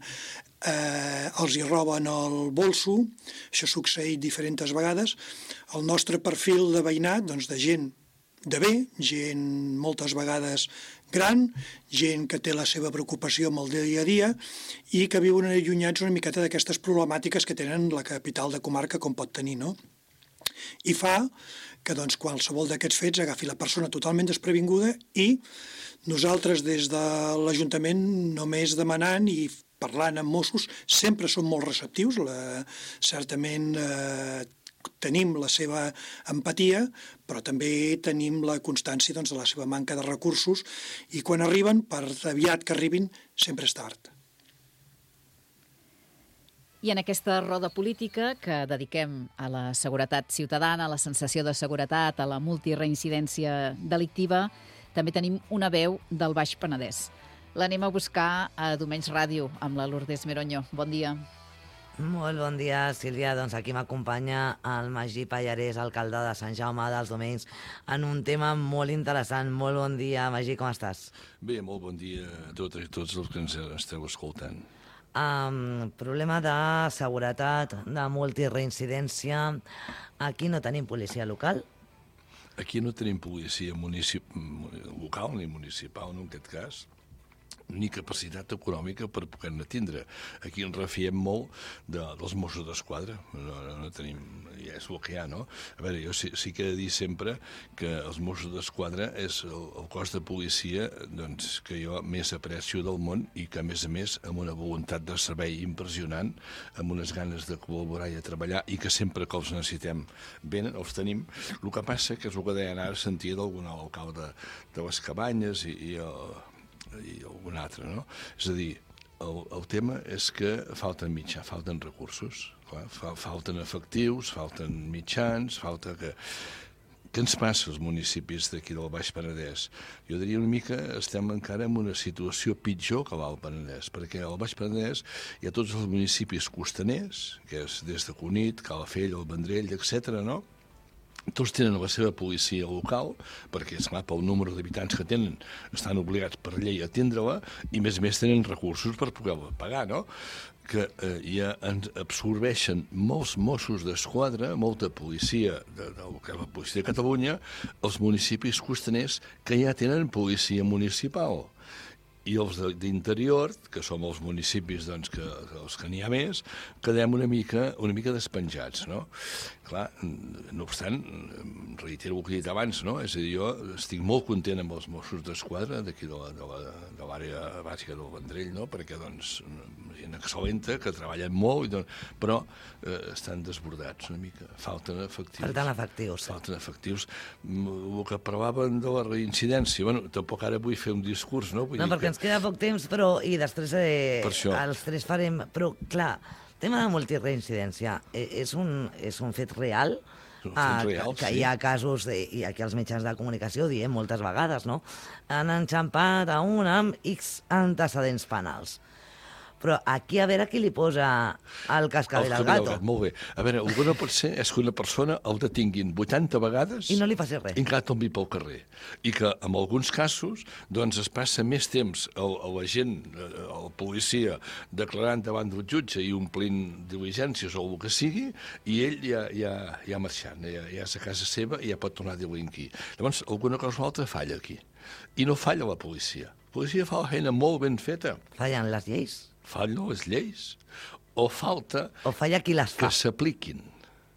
eh, els hi roben el bolso. Això ha succeït diferents vegades. El nostre perfil de veïnat, doncs, de gent de bé, gent moltes vegades gran, gent que té la seva preocupació amb el dia a dia i que viuen allunyats una miqueta d'aquestes problemàtiques que tenen la capital de comarca com pot tenir, no? I fa que doncs, qualsevol d'aquests fets agafi la persona totalment desprevinguda i nosaltres des de l'Ajuntament només demanant i parlant amb Mossos sempre som molt receptius, la, certament eh, tenim la seva empatia, però també tenim la constància doncs, de la seva manca de recursos i quan arriben, per aviat que arribin, sempre és tard. I en aquesta roda política que dediquem a la seguretat ciutadana, a la sensació de seguretat, a la multireincidència delictiva, també tenim una veu del Baix Penedès. L'anem a buscar a Domenys Ràdio amb la Lourdes Meronyo. Bon dia. Molt bon dia, Sílvia. Doncs aquí m'acompanya el Magí Pallarès, alcalde de Sant Jaume dels Domenys, en un tema molt interessant. Molt bon dia, Magí, com estàs? Bé, molt bon dia a tots i tots els que ens esteu escoltant. Um, problema de seguretat, de multireincidència. Aquí no tenim policia local? Aquí no tenim policia municip... local ni municipal, no, en aquest cas, ni capacitat econòmica per poder-ne tindre. Aquí ens refiem molt de, dels Mossos d'Esquadra. No, no, no tenim... Ja és el que hi ha, no? A veure, jo sí, sí que he de dir sempre que els Mossos d'Esquadra és el, el cos de policia doncs, que jo més aprecio del món i que, a més a més, amb una voluntat de servei impressionant, amb unes ganes de col·laborar i de treballar i que sempre que els necessitem venen, els tenim. El que passa que és el que deien ara, sentia d'algun alcalde de les Cabanyes i, i el i algun altre, no? És a dir, el, el tema és que falten mitjans, falten recursos, clar, fa, falten efectius, falten mitjans, falta que... Què ens passa als municipis d'aquí del Baix Penedès? Jo diria una mica estem encara en una situació pitjor que l'Alt Penedès, perquè al Baix Penedès hi ha tots els municipis costaners, que és des de Cunit, Calafell, el Vendrell, etcètera, no? Tots tenen la seva policia local, perquè, esclar, pel número d'habitants que tenen, estan obligats per llei a atendre-la, i més a més tenen recursos per poder-la pagar, no? Que eh, ja ens absorbeixen molts Mossos d'Esquadra, molta policia, de, de, de la policia de Catalunya, els municipis costaners que ja tenen policia municipal. i els d'interior, que som els municipis doncs, que, els que n'hi ha més, quedem una mica, una mica despenjats, no? Clar, no obstant, reitero el que he dit abans, no? És a dir, jo estic molt content amb els Mossos d'Esquadra d'aquí de l'àrea bàsica del Vendrell, no? Perquè, doncs, gent excel·lenta, que treballen molt, i, doncs, però eh, estan desbordats una mica. Falten efectius. Falten efectius. Falten efectius. El que parlaven de la reincidència, bueno, tampoc ara vull fer un discurs, no? Vull no, dir perquè que... ens queda poc temps, però i després eh, els tres farem... Però, clar, el tema de multireincidència eh, és, un, és un fet real? Un fet real, que, que sí. hi ha casos, de, i aquí els mitjans de comunicació ho diem moltes vegades, no? Han enxampat a un amb X antecedents penals. Però aquí a veure qui li posa el cascabel al gato. Molt bé. A veure, el que no pot ser és que una persona el detinguin vuitanta vegades... I no li faci res. I encara tombi pel carrer. I que, en alguns casos, doncs es passa més temps el, la gent, el policia, declarant davant del jutge i omplint diligències o el que sigui, i ell ja, ja, ja marxant, ja, ja és a casa seva i ja pot tornar a delinquir. Llavors, alguna cosa o altra falla aquí. I no falla la policia. La policia fa la feina molt ben feta. Fallen les lleis. Fallen les lleis, o falta o falla qui les fa. Que s'apliquin.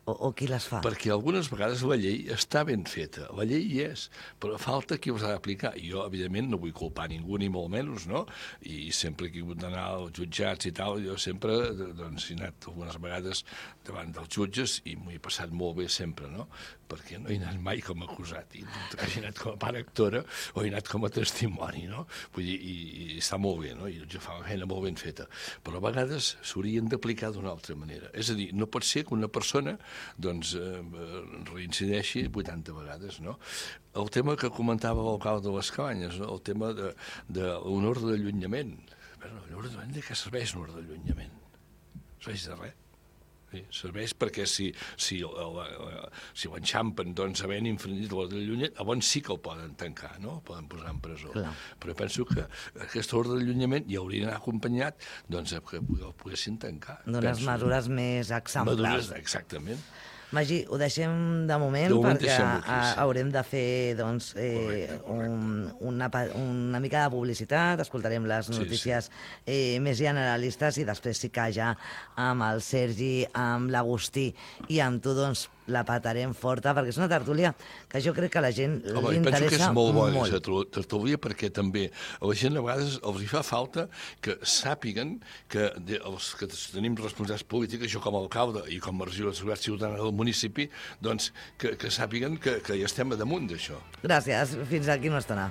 O, o qui les fa. Perquè algunes vegades la llei està ben feta, la llei hi és, però falta qui els ha d'aplicar. I jo, evidentment, no vull culpar ningú, ni molt menys, no? I sempre que he hagut d'anar als jutjats i tal, jo sempre doncs, he anat algunes vegades davant dels jutges i m'ho he passat molt bé sempre, no? Perquè no he anat mai com a acusat, i he anat com a part actora o he anat com a testimoni, no? Vull dir, i, i està molt bé, no? I el jutge fa una feina molt ben feta. Però a vegades s'haurien d'aplicar d'una altra manera. És a dir, no pot ser que una persona doncs eh, reincideixi vuitanta vegades, no? El tema que comentava l'alcalde de les Cabanyes, no? El tema de, de l'honor d'allunyament. L'honor d'allunyament, de què serveix l'honor d'allunyament? Serveix de res. Sí, serveix perquè si, si, si l'enxampen doncs, havent infringit l'ordre d'allunyament, llavors sí que el poden tancar, no? El poden posar en presó. Clar. Però penso que aquest ordre d'allunyament ja hauria d'anar acompanyat doncs, que el poguessin tancar. D'unes mesures més exemplars. Mesures, exactament. Magí, ho deixem de moment, de moment perquè aquí, sí. haurem de fer doncs, eh, correcte, correcte. Un, una, una mica de publicitat, escoltarem les notícies sí, sí. Eh, més generalistes i després sí que ja amb el Sergi, amb l'Agustí i amb tu doncs, la patarem forta, perquè és una tertúlia que jo crec que a la gent Home, li interessa molt. Penso que és molt bona aquesta tertúlia perquè també a la gent a vegades els hi fa falta que sàpiguen que de, els que tenim responsabilitats polítiques, jo com a alcalde i com a regidor de seguretat ciutadana del municipi, doncs que, que sàpiguen que, que hi estem a damunt d'això. Gràcies. Fins aquí no estarà.